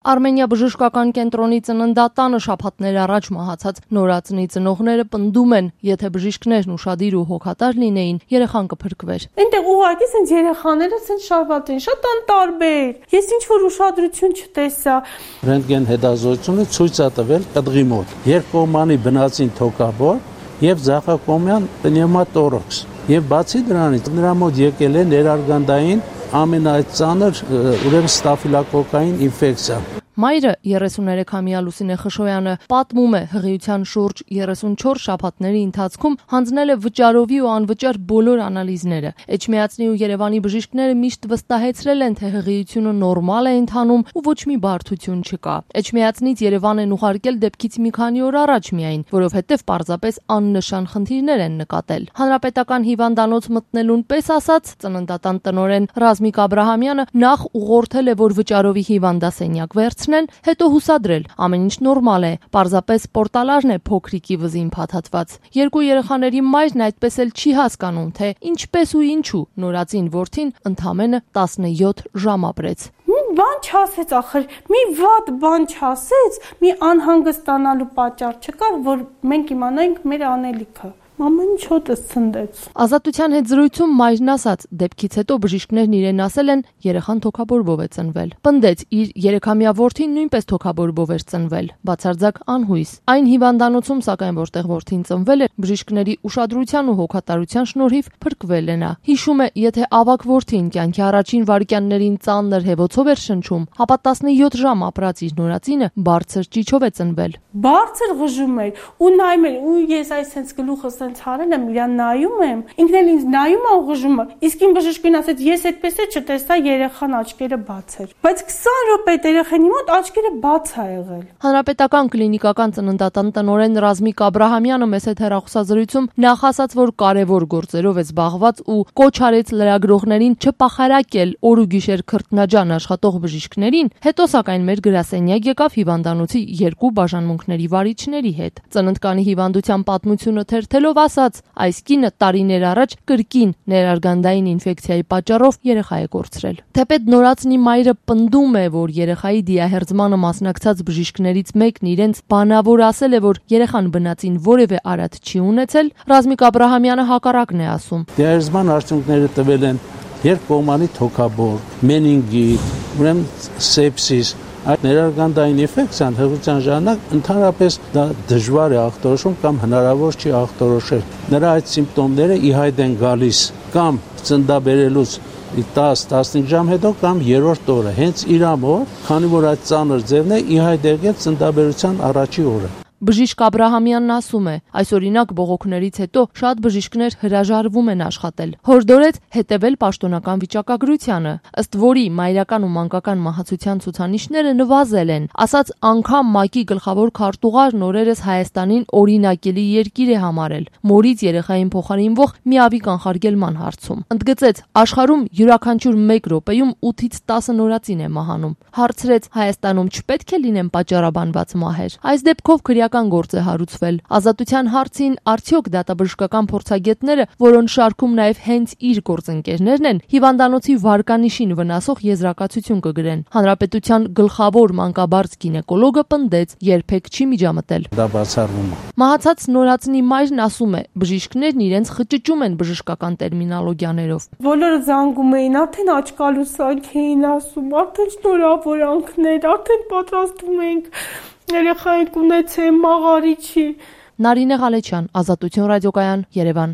Արմենիա բժշկական կենտրոնի ծննդատանը շաբաթներ առաջ մահացած նորածնի ծնողները պնդում են, եթե բժիշկներն ուշադիր ու հոգատար լինեին, երեխան կփրկվեր։ Այնտեղ ուղղակի սենց երեխաները սենց շարված են, շատ անտարբեր։ Ես ինչ որ ուշադրություն չտեսա։ Ռենտգեն հետազոտությունը ցույց է տվել կդղի մոտ երկկողմանի բնածին թոքաբոր եւ ձախակողմյան պնևմատորաքս։ Եվ բացի դրանից նրա մոտ եկել է ներարգանդային ամենածանր ուրեմն ստաֆիլոկոկային ինֆեկցիա։ Մայրը 33-ամյա Լուսինե Խշոյանը պատմում է հղիության շուրջ 34 շաբաթների ընթացքում հանձնել է վճարովի ու անվճար բոլոր անալիզները։ Էջմիածնի ու Երևանի բժիշկները միշտ վստահեցրել են, թե հղիությունը նորմալ է ընթանում ու ոչ մի բարդություն չկա։ Էջմիածնից Երևան են ուղարկել դեպքից մի քանի օր առաջ միայն, որովհետև պարզապես աննշան խնդիրներ են նկատել։ Հանրապետական հիվանդանոց մտնելուն պես ասած, ծննդատան տնօրեն Ռազմիկ Աբրահամյանը նախ ուղղորդել է, որ վճարովի հիվանդասենյակ վերցնեն, հետո հուսադրել, ամեն ինչ նորմալ է, պարզապես պորտալաժն է փոքրիկի վզին փաթաթված։ Երկու երեխաների մայրն այդպես էլ չի հասկանում, թե ինչպես ու ինչու նորածին որդին ընդամենը 17 ժամ ապրեց։ Մի բան չասեց, ախր, մի վատ բան չասեց, մի անհանգստանալու պատճառ չկար, որ մենք իմանայինք մեր անելիքը։ Մաման չոտս ցնդեց։ Ազատության հետ զրույցում մայրն ասաց, դեպքից հետո բժիշկներն իրեն ասել են, երեխան թոքաբորբով է ծնվել։ Պնդեց, իր 3-ամյա որդին նույնպես թոքաբորբով էր ծնվել, բացարձակ անհույս։ Այն հիվանդանոցում, սակայն որտեղ որդին ծնվել է, բժիշկների ուշադրության ու հոգատարության շնորհիվ փրկվել է նա։ Հիշում է, եթե ավագ որդին կյանքի առաջին վայրկյաններին ծանր հեվոցով էր շնչում, ապա 17 ժամ ապրած իր նորածինը բարձր ճիչով է ծնվել։ Բարձր ղժում էր ու նայում էր, ու ես այսպես գլուխս հարել եմ, իրան նայում եմ, ինքն էլ ինձ նայում է ու ղժում է։ Իսկ իմ բժիշկին ասեց, ես այդպես է չտեսա, երեխան աչքերը բաց էր։ Բայց 20 րոպե երեխանի մոտ աչքերը բաց է եղել։ Հանրապետական կլինիկական ծննդատան տնօրեն Ռազմիկ Աբրահամյանը մեծ հետ հեռախոսազրույցում նախ ասաց, որ կարևոր գործերով է զբաղված ու կոչ արեց լրագրողներին չպախարակել օր ու գիշեր քրտնաջան աշխատող բժիշկներին, հետո սակայն մեր գրասենյակ եկավ հիվանդանոցի երկու բաժանմունքների վարիչների հետ։ Ծննդկանի հիվանդության պատմությունը թերթելով ասաց, այս կինը տարիներ առաջ կրկին ներարգանդային ինֆեկցիայի պատճառով երեխա է կորցրել։ Թեպետ նորածնի մայրը պնդում է, որ երեխայի դիահերձմանը մասնակցած բժիշկներից մեկն իրենց բանավոր ասել է, որ երեխան բնածին որևէ արատ չի ունեցել, Ռազմիկ Աբրահամյանը հակառակն է ասում։ Դիահերձման արդյունքները տվել են երկկողմանի թոքաբոր, մենինգիտ, ուրեմն սեպսիս։ Այդ ներարգանդային ինֆեկցիան հղիության ժամանակ ընդհանրապես դա դժվար է ախտորոշում կամ հնարավոր չի ախտորոշել։ Նրա այդ սիմպտոմները ի հայտ են գալիս կամ ծննդաբերելուց 10-15 ժամ հետո կամ երրորդ օրը, հենց իր ամոր, քանի որ այդ ծանր ձևն է ի հայտ եկել ծննդաբերության առաջի օրը։ Բժիշկ Աբրահամյանն ասում է, այս օրինակ բողոքներից հետո շատ բժիշկներ հրաժարվում են աշխատել։ Հորդորեց հետևել պաշտոնական վիճակագրությանը, ըստ որի մայրական ու մանկական մահացության ցուցանիշները նվազել են։ Ասաց անգամ ՄԱԿ-ի գլխավոր քարտուղարն օրերս Հայաստանին օրինակելի երկիր է համարել, մորից երեխային փոխարինվող միավի կանխարգելման հարցում։ Ընդգծեց, աշխարհում յուրաքանչյուր 1 րոպեում 8-ից 10 նորածին է մահանում։ Հարցրեց, Հայաստանում չպետք է լինեն պատճառաբանված մահեր։ Այս դեպքով գործ է հարուցվել։ Ազատության հարցին արդյոք դատաբժշկական փորձագետները, որոնց շարքում նաև հենց իր գործընկերներն են, հիվանդանոցի վարկանիշին վնասող եզրակացություն կգրեն։ Հանրապետության գլխավոր մանկաբարձ գինեկոլոգը պնդեց, երբեք չի միջամտել։ Դա բացառվում է։ Մահացած նորածնի մայրն ասում է, բժիշկներն իրենց խճճում են բժշկական տերմինոլոգիաներով։ Բոլորը զանգում էին, արդեն աչքալուսանք էին ասում, արդեն շնորհավորանքներ, արդեն պատրաստվում ենք երեխային կունեցեմ, մաղարիչի։ Նարինե Ղալեչյան, Ազատություն ռադիոկայան, Երևան։